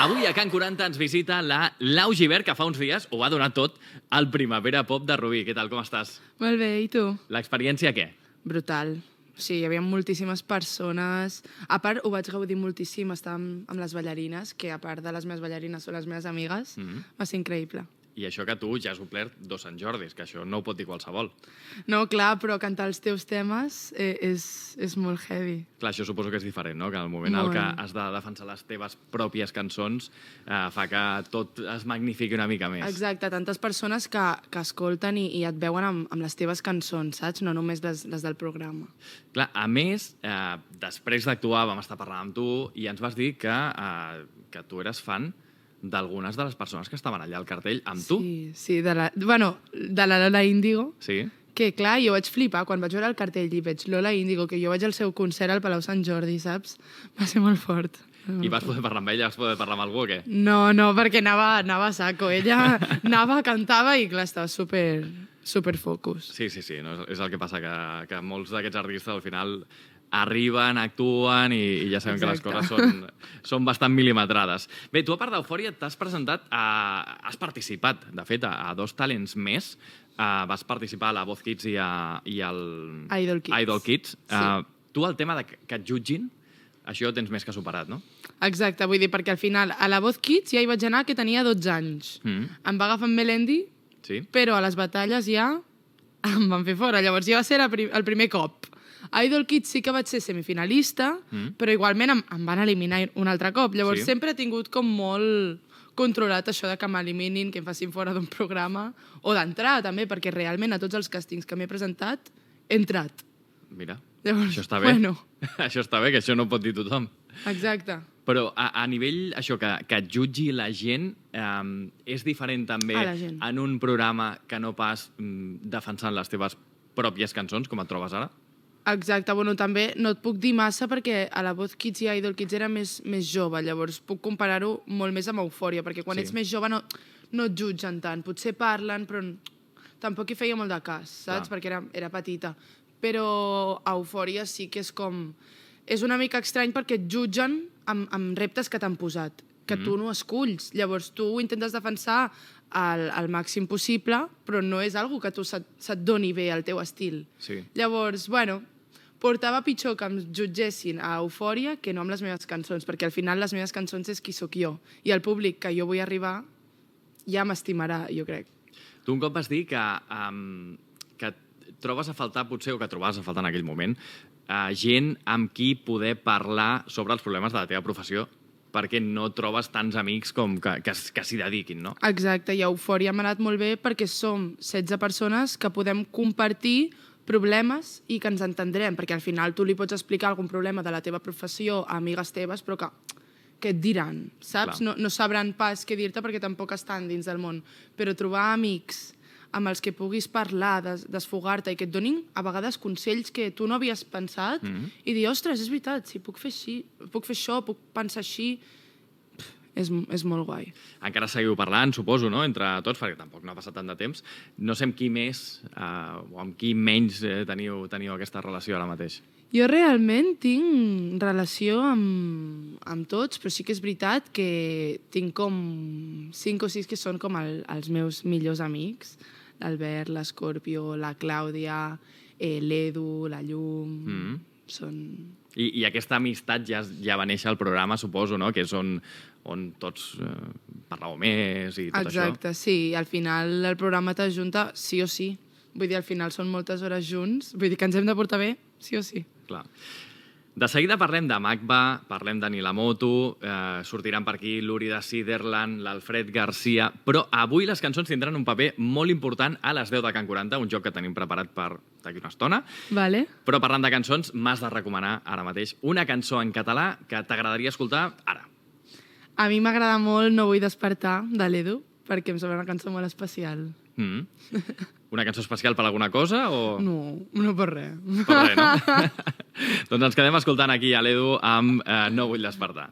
Avui a Can 40 ens visita la Lau Gibert, que fa uns dies ho va donar tot al Primavera Pop de Rubí. Què tal, com estàs? Molt bé, i tu? L'experiència què? Brutal. O sigui, hi havia moltíssimes persones. A part, ho vaig gaudir moltíssim, estar amb les ballarines, que a part de les meves ballarines són les meves amigues. Va ser increïble. I això que tu ja has omplert 2 Sant Jordis, que això no ho pot dir qualsevol. No, clar, però cantar els teus temes és molt heavy. Clar, això suposo que és diferent, no? Que en el moment en què has de defensar les teves pròpies cançons fa que tot es magnifiqui una mica més. Exacte, tantes persones que escolten i et veuen amb les teves cançons, saps? No només les del programa. Clar, a més, després d'actuar vam estar parlant amb tu i ens vas dir que tu eres fan d'algunes de les persones que estaven allà al cartell amb tu. Sí, de la Lola Índigo. Sí. Que, clar, jo vaig flipar quan vaig veure el cartell i veig Lola Índigo, que jo vaig al seu concert al Palau Sant Jordi, saps? Va ser molt fort. I vas poder parlar amb ella? Vas poder parlar amb algú o què? No, perquè anava a saco. Ella anava, cantava i, clar, estava super focus. Sí, no, és el que passa, que molts d'aquests artistes al final arriben, actuen i ja sabem que les coses són bastant mil·limetrades. Bé, tu a part d'Eufòria t'has presentat, has participat, de fet, a 2 talents més. Vas participar a la Voz Kids i al Idol Kids. Sí. Tu el tema que et jutgin, això ho tens més que superat, no? Exacte, vull dir, perquè al final a la Voz Kids ja hi vaig anar que tenia 12 anys. Em va agafar amb Melendi, però a les batalles ja em van fer fora. Llavors ja va ser el primer cop. A Idol Kids sí que vaig ser semifinalista, però igualment em van eliminar un altre cop. Llavors sempre he tingut com molt controlat això de que m'eliminin, que em facin fora d'un programa, o d'entrar també, perquè realment a tots els càstings que m'he presentat he entrat. Mira, llavors, això està bé. Bueno. Això està bé, que això no ho pot dir tothom. Exacte. Però a nivell, això, que et jutgi la gent, és diferent també en un programa que no pas defensant les teves pròpies cançons, com et trobes ara? Exacte, bueno, també no et puc dir massa perquè a la Voz Kids i a Idol Kids era més jove, llavors puc comparar-ho molt més amb Eufòria, perquè quan ets més jove no et jutgen tant, potser parlen, però tampoc hi feia molt de cas, saps? Perquè era petita. Però a Eufòria sí que és com... És una mica estrany perquè et jutgen amb reptes que t'han posat, que tu no esculls. Llavors tu ho intentes defensar al màxim possible, però no és algo que tu se't doni bé al teu estil. Llavors, bueno, portava pitjor que em jutgessin a Eufòria que no amb les meves cançons, perquè al final les meves cançons és qui sóc jo. I el públic que jo vull arribar ja m'estimarà, jo crec. Tu un cop vas dir que trobes a faltar, potser, o que trobaves a faltar en aquell moment, gent amb qui poder parlar sobre els problemes de la teva professió, perquè no trobes tants amics com que s'hi dediquin, no? Exacte, i a Eufòria m'ha anat molt bé perquè som 16 persones que podem compartir problemes i que ens entendrem, perquè al final tu li pots explicar algun problema de la teva professió a amigues teves, però que et diran, saps? No sabran pas què dir-te perquè tampoc estan dins del món. Però trobar amics amb els que puguis parlar, desfogar-te i que et donin a vegades consells que tu no havies pensat i dir, ostres, és veritat, si puc fer això, puc pensar així, és molt guai. Encara seguiu parlant, suposo, no?, entre tots, perquè tampoc no ha passat tant de temps. No sé amb qui més o amb qui menys teniu aquesta relació ara mateix. Jo realment tinc relació amb tots, però sí que és veritat que tinc com 5 o 6 que són com els meus millors amics. L'Albert, l'Escorpio, la Clàudia, l'Edu, la Llum... I aquesta amistat ja va néixer al programa, suposo, no?, que és on tots parlàveu més i tot això. Exacte, sí. Al final el programa t'ajunta sí o sí. Vull dir, al final són moltes hores junts. Vull dir que ens hem de portar bé sí o sí. Clar. De seguida parlem de Magba, parlem de Nilamoto, sortiran per aquí l'Uri de Siderland, l'Alfred Garcia, però avui les cançons tindran un paper molt important a les 10 de Can 40, un joc que tenim preparat per d'aquí una estona. Vale. Però parlant de cançons, m'has de recomanar ara mateix una cançó en català que t'agradaria escoltar ara. A mi m'agrada molt No vull despertar, de l'Edu, perquè em sembla una cançó molt especial. Una cançó especial per alguna cosa o...? No per res. Per res, no? Doncs ens quedem escoltant aquí a l'Edu amb No vull despertar.